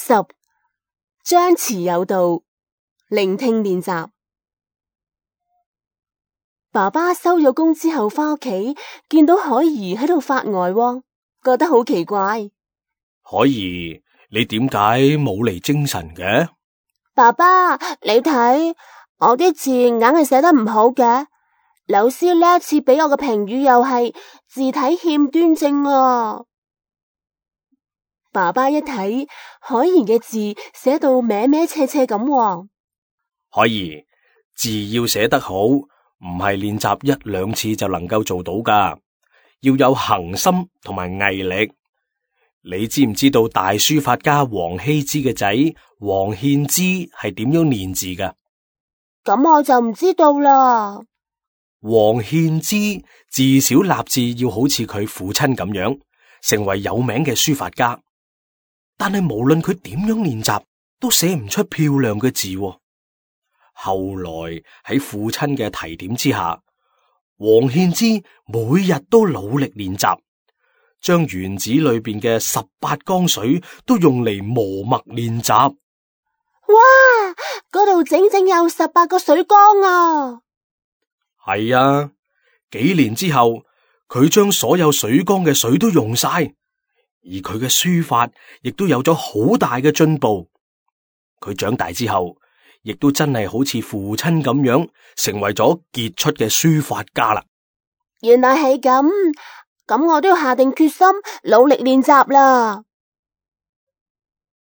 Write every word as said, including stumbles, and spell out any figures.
十、張弛有道，聆聽練習。爸爸收咗工之後返屋企，見到海怡喺度發呆喎，覺得好奇怪。海怡，你點解冇嚟精神嘅？爸爸，你睇我啲字硬係寫得唔好嘅，老師呢一次俾我嘅評語又係字體欠端正啊。爸爸一睇海怡嘅字寫到歪歪斜斜咁喎。海怡，字要寫得好，唔係練習一兩次就能夠做到噶，要有恆心同埋毅力。你知唔知道大書法家王羲之嘅仔王獻之係點樣練字噶？咁我就唔知道啦。王獻之自小立志要好似佢父親咁樣，成為有名嘅書法家。但係無論佢點樣練習，都寫唔出漂亮嘅字喎。後來喺父親嘅提點之下，王獻之每日都努力練習，將園子裏邊嘅十八缸水都用嚟磨墨練習。哇！嗰度整整有十八個水缸啊！係啊，幾年之後，佢將所有水缸嘅水都用晒，而佢嘅書法亦都有咗好大嘅進步。佢長大之後，亦都真係好似父親咁樣，成為咗傑出嘅書法家啦。原來係咁，咁我都要下定決心，努力練習啦。